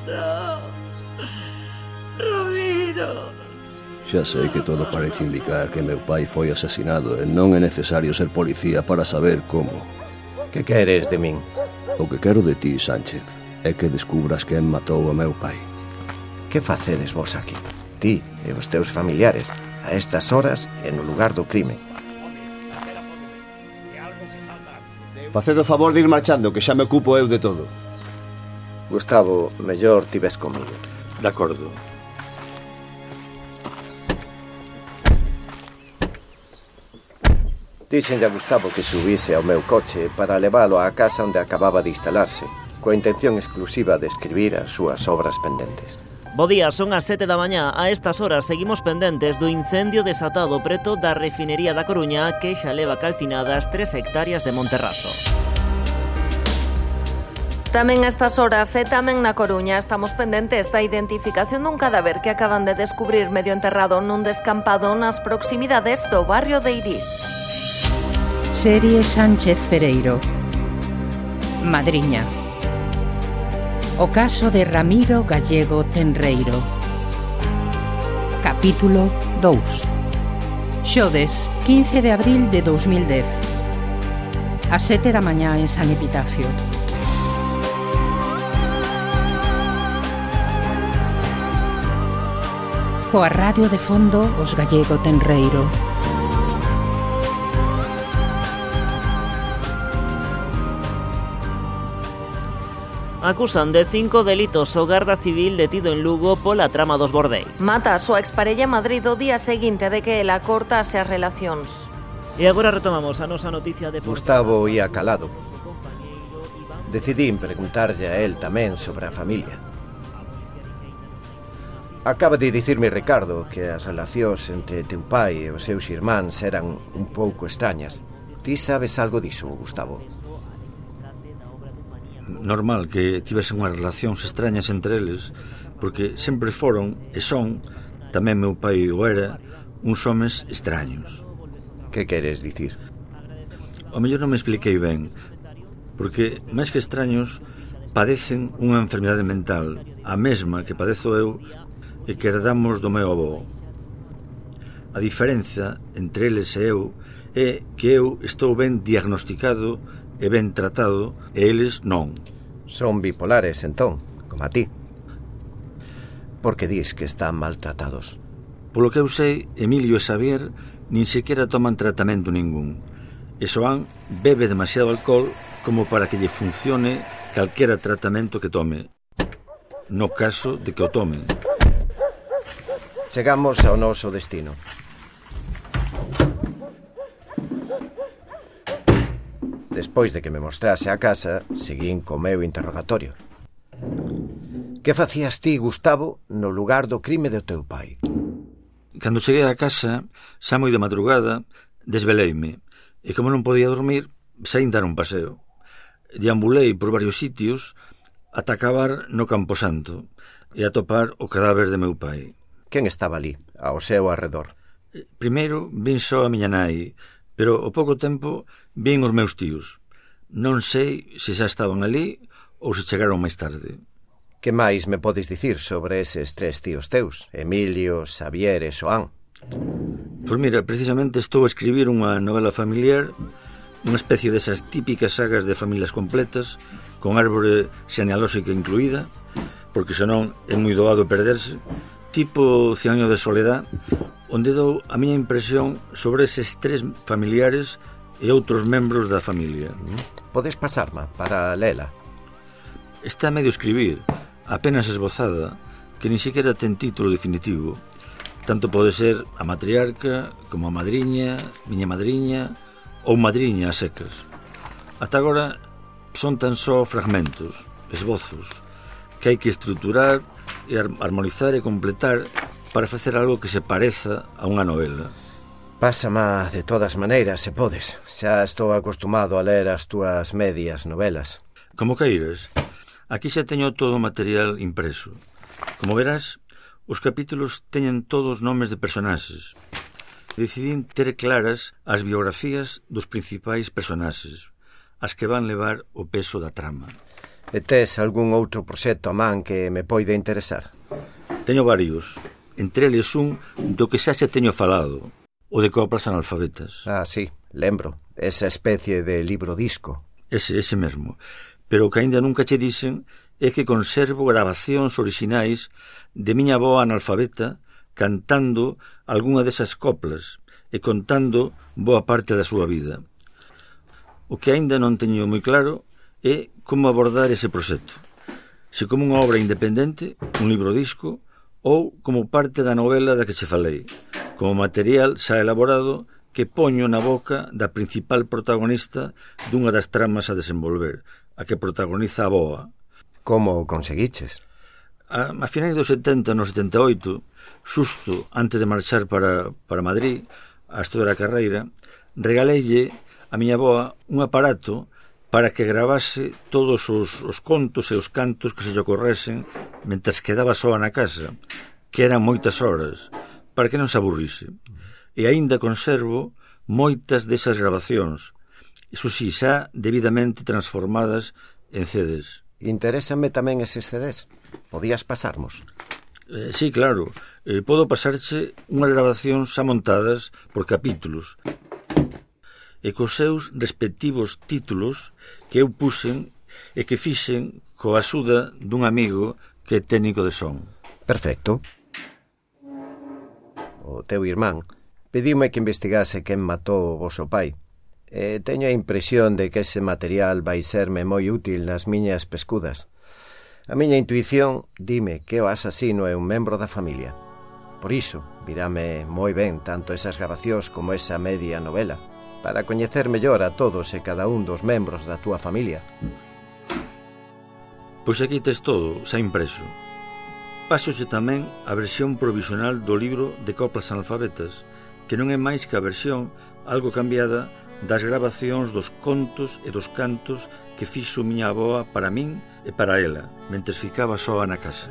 Non. Ramiro. Xa sei que todo parece indicar que meu pai foi asesinado e non é necesario ser policía para saber como. Que queres de min? O que quero de ti, Sánchez, é que descubras quen matou a meu pai. Que facedes vos aquí? Ti e os teus familiares, a estas horas e no lugar do crime. Faced o favor de ir marchando, que xa me ocupo eu de todo. Gustavo, mellor ti ves comigo. De acordo. Dixenlle a Gustavo que subise ao meu coche para leválo á casa onde acababa de instalarse, coa intención exclusiva de escribir as súas obras pendentes. Bo día, son as 7 da mañá. A estas horas seguimos pendentes do incendio desatado preto da refinería da Coruña que xa leva calcinadas 3 hectáreas de Monterraso. Tamén a estas horas e tamén na Coruña estamos pendentes da identificación dun cadáver que acaban de descubrir medio enterrado nun descampado nas proximidades do barrio de Irís. Serie Sánchez Pereiro. Madriña. O caso de Ramiro Gallego Tenreiro. Capítulo 2. Xoves, 15 de abril de 2010. A 7 da mañá en San Epitafio. Coa radio de fondo os Gallego Tenreiro. Acusan de 5 delitos o garda civil detido en Lugo pola trama dos Bordei. Mata a súa exparella en Madrid o día seguinte de que ela cortase as relacións. E agora retomamos a nosa noticia de... Gustavo ia calado. Decidín preguntarlle a él tamén sobre a familia. Acaba de dicirme Ricardo que as relacións entre teu pai e os seus irmáns eran un pouco extrañas. Ti sabes algo diso, Gustavo? Normal que tivesen unhas relacións extrañas entre eles, porque sempre foron e son, tamén meu pai o era, uns homes extraños. Que queres dicir? O mellor non me expliquei ben, porque, máis que extraños, padecen unha enfermidade mental, a mesma que padezo eu e que herdamos do meu avó. A diferenza entre eles e eu é que eu estou ben diagnosticado e ben tratado e eles non. Son bipolares, entón, como a ti. Por que dis que están maltratados? Polo que eu sei, Emilio e Xavier nin sequera toman tratamento ningún. E Xoán bebe demasiado alcohol como para que lle funcione calquera tratamento que tome. No caso de que o tomen. Chegamos ao noso destino. Despois de que me mostrase a casa, seguín co meu interrogatorio. Que facías ti, Gustavo, no lugar do crime do teu pai? Cando cheguei á casa, xa moi de madrugada, desveleime, e como non podía dormir, saín dar un paseo. Deambulei por varios sitios ata acabar no Camposanto e atopar o cadáver de meu pai. Quen estaba ali, ao seu arredor? Primeiro vin só a miña nai, pero ao pouco tempo vin os meus tíos. Non sei se xa estaban ali ou se chegaron máis tarde. Que máis me podes dicir sobre eses 3 tíos teus, Emilio, Xavier e Xoán? Pois mira, precisamente estou a escribir unha novela familiar, unha especie desas típicas sagas de familias completas, con árbore xenealóxica incluída, porque senón é moi doado perderse, tipo 100 años de soledad, onde dou a miña impresión sobre eses 3 familiares e outros membros da familia. Podes pasarma para lela? Está a medio escribir, apenas esbozada, que nin sequera ten título definitivo. Tanto pode ser a matriarca, como a madriña, miña madriña, ou madriña a secas. Ata agora son tan só fragmentos, esbozos, que hai que estruturar e armonizar e completar para facer algo que se pareza a unha novela. Pásama de todas maneiras, se podes. Xa estou acostumado a ler as túas medias novelas. Como queiras. Aquí xa teño todo o material impreso. Como verás, os capítulos teñen todos nomes de personaxes. Decidín ter claras as biografías dos principais personaxes, as que van levar o peso da trama. E tes algún outro proxecto a man que me poida interesar? Teño varios. Entre eles un do que xa se teño falado, o de coplas analfabetas. Ah, sí, lembro. Esa especie de libro disco. Ese mesmo. Pero o que aínda nunca che dixen é que conservo grabacións orixinais de miña avoa analfabeta cantando algunha desas coplas e contando boa parte da súa vida. O que aínda non teño moi claro é como abordar ese proxecto. Se como unha obra independente, un libro disco, ou como parte da novela da que che falei, como material xa elaborado que poño na boca da principal protagonista dunha das tramas a desenvolver, a que protagoniza a avoa. Como o conseguiches? A finais dos 70, no 78, xusto antes de marchar para Madrid, a estudar a carreira, regaleille a miña avoa un aparato para que gravase todos os contos e os cantos que se lle ocorresen mentres quedaba soa na casa, que eran moitas horas, para que non se aburrise. E aínda conservo moitas desas grabacións, iso si, xa debidamente transformadas en CDs. Interésame tamén eses CDs. Podías pasarmos? Sí, claro. Podo pasarche unhas grabacións xa montadas por capítulos e cos seus respectivos títulos que eu puxen e que fixen coa axuda dun amigo que é técnico de son. Perfecto. O teu irmán pediume que investigase quen matou o voso pai. Teño a impresión de que ese material vai serme moi útil nas miñas pescudas. A miña intuición dime que o asasino é un membro da familia. Por iso, virame moi ben tanto esas grabacións como esa media novela, para coñecer mellor a todos e cada un dos membros da túa familia. Pois aquí tes todo, xa impreso. Pásoxe tamén a versión provisional do libro de coplas analfabetas, que non é máis que a versión algo cambiada das grabacións dos contos e dos cantos que fixo miña avoa para min e para ela, mentres ficaba soa na casa.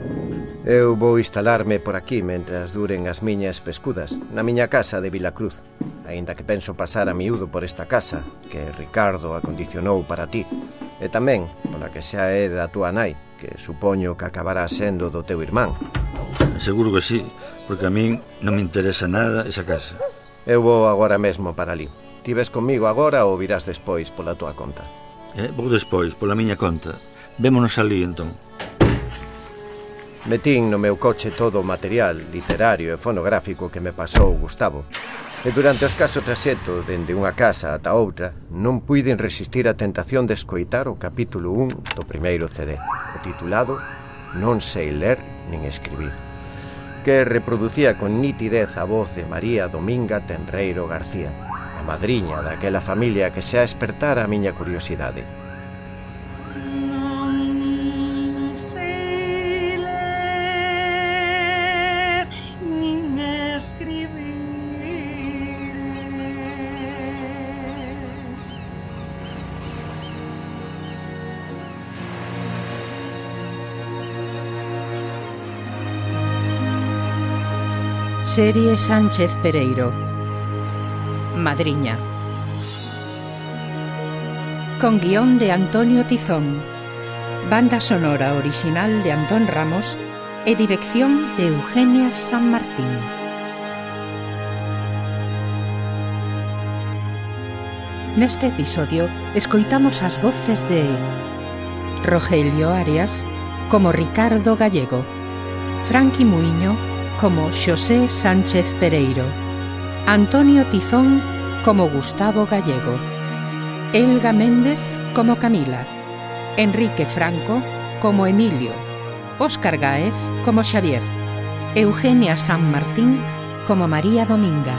Eu vou instalarme por aquí mentras duren as miñas pescudas, na miña casa de Vilacruz, aínda que penso pasar a miúdo por esta casa que Ricardo acondicionou para ti, e tamén pola que xa é da túa nai, que supoño que acabará sendo do teu irmán. Seguro que sí, porque a min non me interesa nada esa casa. Eu vou agora mesmo para ali. Ti ves comigo agora ou virás despois pola túa conta? Vou despois, pola miña conta. Vémonos ali, entón. Metín no meu coche todo o material literario e fonográfico que me pasou Gustavo. E durante o escaso traxecto dende unha casa ata outra, non puiden resistir a tentación de escoitar o capítulo 1 do primeiro CD, o titulado Non sei ler nin escribir, que reproducía con nitidez a voz de María Dominga Tenreiro García, a madriña daquela familia que xa espertara a miña curiosidade. Serie Sánchez Pereiro. Madriña. Con guión de Antonio Tizón. Banda sonora original de Antón Ramos e dirección de Eugenia San Martín. Neste episodio escoitamos as voces de Rogelio Arias como Ricardo Gallego, Franqui Muiño como Xosé Sánchez Pereiro, Antonio Tizón como Gustavo Gallego, Elga Méndez como Camila, Enrique Franco como Emilio, Óscar Gáez como Xavier, Eugenia San Martín como María Dominga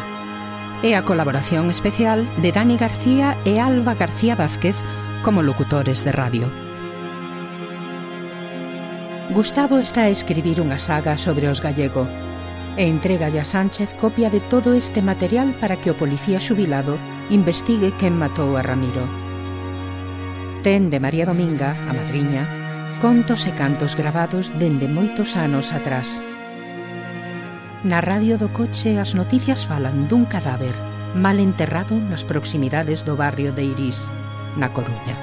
e a colaboración especial de Dani García e Alba García Vázquez como locutores de radio. Gustavo está a escribir unha saga sobre os Gallego e entregalle a Sánchez copia de todo este material para que o policía xubilado investigue quen matou a Ramiro. Ten de María Dominga, a madriña, contos e cantos gravados dende moitos anos atrás. Na radio do coche as noticias falan dun cadáver mal enterrado nas proximidades do barrio de Irís, na Coruña.